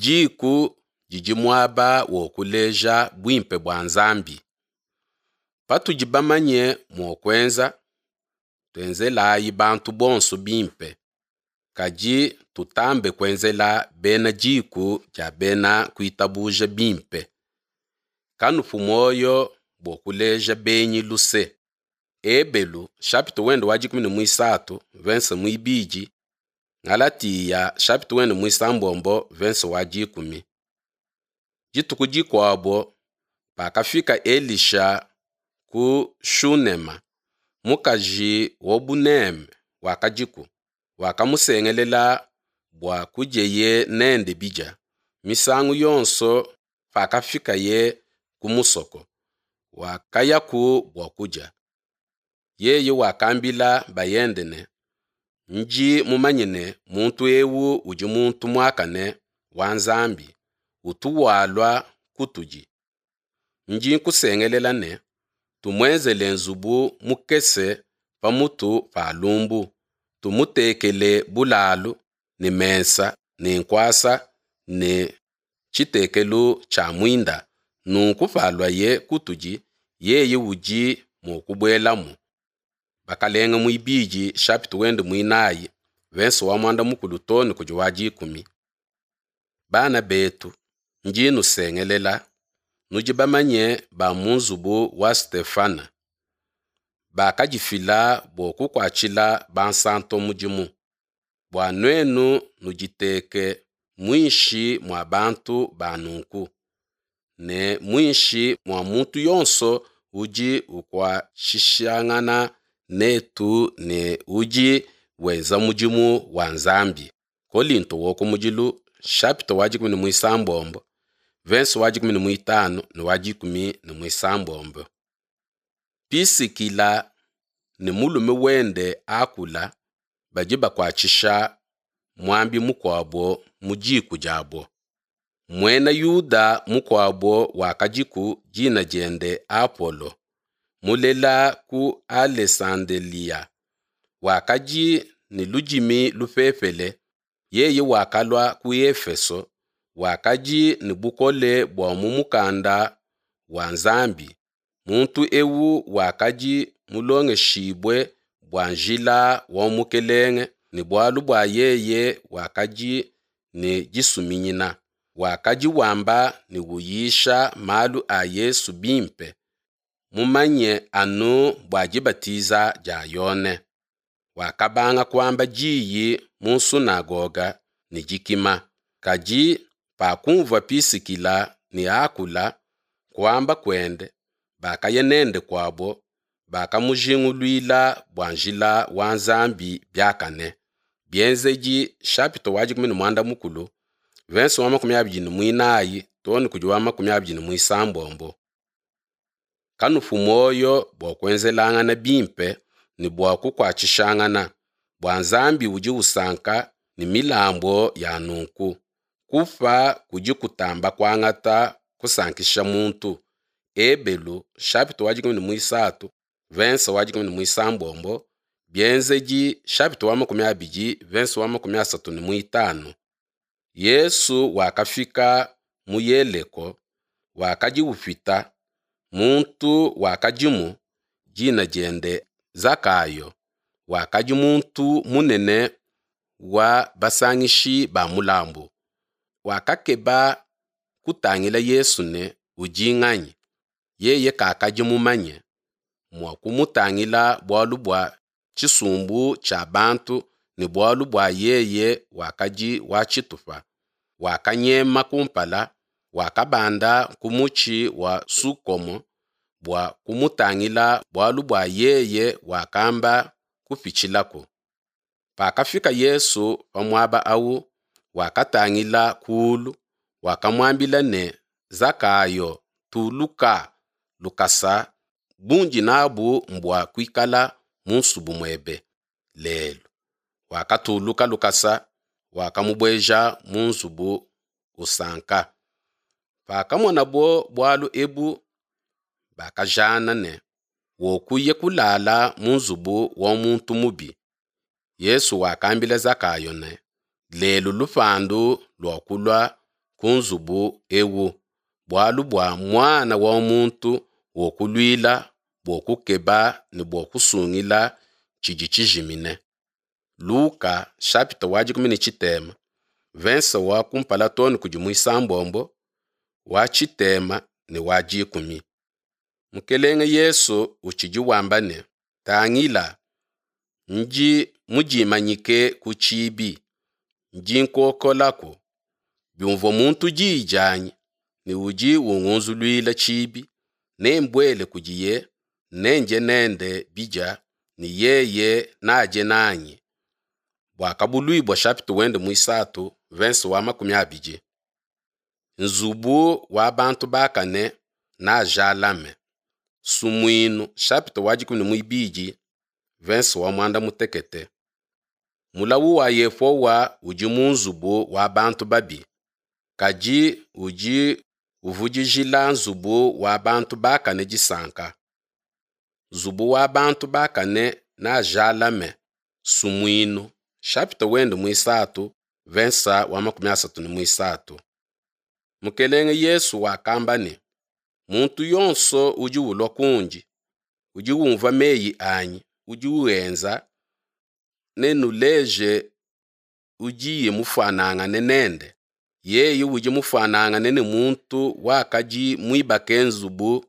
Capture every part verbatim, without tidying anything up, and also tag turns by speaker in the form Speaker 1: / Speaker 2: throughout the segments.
Speaker 1: Diku didi muaba wa kuleja buimpe bua Nzambi. Patudi bamanye mua kuenza, tuenzelayi bantu bonso bimpe, kadi tutambe kuenzela bena diku dia bena kuitabuja bimpe. Kanupu muoyo bua kuleja benyi luse. Ebelu chapitre wende wa dikumi ne muisatu verse muibidi, Ngalatiya chapitre wende muisambombo verse wa dikumi. Dituku dikuabo pakafika Elisha ku Shunema, mukaji wa buneme wakadiku, wakamusengelela bua kudieye nende bidia. Misangu yonso pakafikaye ku musoko, wakayaku bua kudia. Yeye wakambila bayende ne, Ndi mumanye ne muntu ewu udi muntu muakane wa Nzambi, utu walua kutudi. Ndi nkusengelela ne, tumuenzele nzubu mukese pamutu pa lumbu, tumutekele bulalu ne mesa ne nkuasa ne tshitekelu tshia muinda, nunku paluaye kutudi, yeye udi mua kubuelamu. Bakalenge muibidi chapitre wende muinayi, verse wa muanda mukulu too ne kudi wa dikumi. Bana betu, ndi nusengelela, nudi bamanye ba mu nzubu wa Stefana, bakadifila bua kukuatshila bansanto mudimu, bua nuenu nuditeke muinshi mua bantu ba nunku, ne muinshi mua muntu yonso udi ukuatshishangana netu ne udi wenza mudimu wa Nzambi. Kolinto wa kumudilu chapitre wa dikumi ne muisambombo, verse wa dikumi ne muitanu ne wa dikumi ne muisambombo. Pisikila ne mulume wende Akula badi bakuatshisha muambi mukuabo mu diku diabo. Muena Yuda mukuabo wakadiku dina diende Apolo, mulela ku Alesandelia, wakadi ne ludimi lupepele. Yeye wakalua ku Efeso, wakadi ne bukole bua mu mukanda wa Nzambi. Muntu ewu wakadi mulongeshibue bua njila wa Mukelenge, ne bualu bua yeye wakadi ne disuminyina. Wakadi wamba ne uyisha malu a Yesu bimpe, mumanye anu bua dibatiza dia Yone. Wakabanga kuamba diyi mu nsunagoga ne dikima. Kadi pakumvua Pisikila ne Akula kuamba kuende, bakaya nende kuabo, bakamujinguluila bua njila wa Nzambi biakane. Bienzedi chapitre wa dikumi ne muanda mukulu, verse wa makumi abidi ne muinayi too ne kudi wa makumi abidi ne muisambombo. Kanupu muoyo bua kuenzelangana bimpe ne bua kukuatshishangana, bua Nzambi udi usanka ne milambo ya nunku. Kupa kudi kutamba kuangata kusankisha muntu. Ebelu chapitre wa dikumi ne muisatu, verse wa dikumi ne muisambombo, Bienzedi chapitre wa makumi abidi, verse wa makumi asatu ne muitanu. Yesu wakafika mu Yeleko, wakadi upita. Muntu wakadimu, dina diende Zakayo, wakadi muntu munene wa basangishi ba mulambu. Wakakeba kutangila Yesu ne udi nganyi. Yeye kakadi mumanye mua kumutangila bualu bua tshisumbu tshia bantu ne bualu bua yeye wakadi wa tshitupa. Wakanyema kumpala, wakabanda ku mutshi wa sukomo bua kumutangila bualu bua yeye wakamba kupitshilaku. Pakafika Yesu pa muaba awu, wakatangila kulu, wakamuambila ne, Zakayo, tuluka lukasa, bundi nabu mbua kuikala mu nsubu muebe lelu. Wakatuluka lukasa, wakamubueja mu nzubu usanka. Pakamonabo bualu ebu, bakajana ne, wokuye kulala mu nzubu wa muntu mubi. Yesu wakambila Zakayo ne, lelu lupandu lua kulua ku nzubu ewu, bualu bua Muana wa muntu wokuluila bua kukeba ne bua kusungila tshidi tshijimine. Luka chapitre wa dikumi ne tshitema verse wa kumpala too ne kudi muisambombo, wa tshitema ne wa dikumi. Mukelenge Yesu utshidi wamba ne, Tangila, ndi mudimanyike ku tshibi, ndi nkokolaku. Biumvua muntu diyi dianyi ne udi ungunzuluila tshibi, nembuele kudiye, nendie nende bidia ne yeye nadie nanyi. Buakabuluibua chapitre wende muisatu verse wa makumi abidi. Nzubu wa bantu bakane najalame. Sumuinu chapitre wa dikumi ne muibidi verse wa muanda mutekete. Mulawu wa Yehowa udi mu nzubu wa bantu babi, kadi udi uvudijila nzubu wa bantu bakane disanka. Nzubu wa bantu bakane najalame. Sumuinu chapitre wende muisatu verse wa makumi asatu ne muisatu. Mukelenge Yesu wakamba ne, muntu yonso udi ulua kundi, udi umvua meyi anyi, udi uenza, nenuleje udiye mufuanangane nende. Yeye udi mufuanangane ne muntu wakadi muibake nzubu,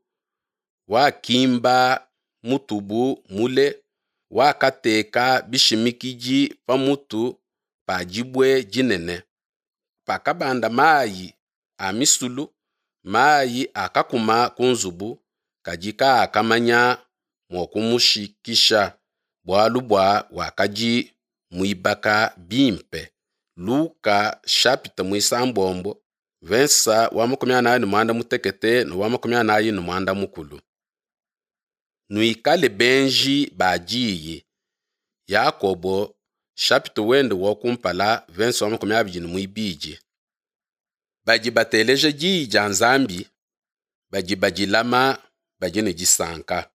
Speaker 1: wakimba mutubu mule, wakateka bishimikidi pa mutu pa dibue dinene. Pakabanda mayi a misulu, mayi akakuma ku nzubu, kadi kaakamanya mua kumushikisha, bualu bua wakadi muibaka bimpe. Luka chapitre muisambombo verse wa makumi anayi ne muanda mutekete ne wa makumi anayi ne muanda mukulu. Nuikale benji ba diyi. Yakobo chapitre wende wa kumpala verse wa makumi abidi ne muibidi. Badi bateleja diyi dia Nzambi, badi badilama, badi ne disanka.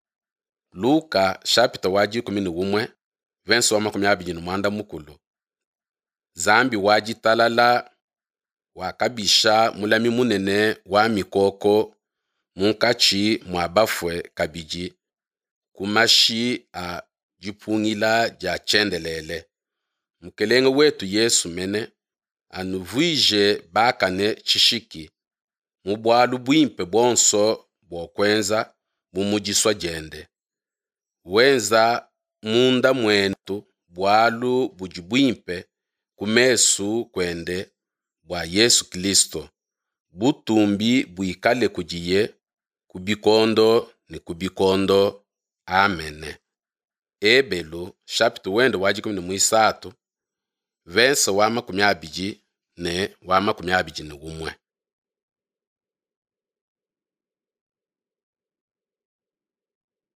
Speaker 1: Luka chapitre wa dikumi ne umue verse wa makumi abidi ne muanda mukulu. Nzambi wa ditalala wakabisha mulami munene wa mikoko munkatshi mua bafue kabidi ku mashi a dipungila dia tshiendelele. Mukelenge wetu Yesu mene anuvuije bakane tshishiki mu bualu buimpe buonso bua kuenza bu mu disua diende. Wenza munda muetu bualu budi buimpe ku mesu kuende bua Yesu Kristo. Butumbi buikale kudiye ku bikondo ne ku bikondo. Amen. Ebelu chapitre wende wa dikumi ne muisatu verse wa makumi abidi ne wa makumi abidi ne umue.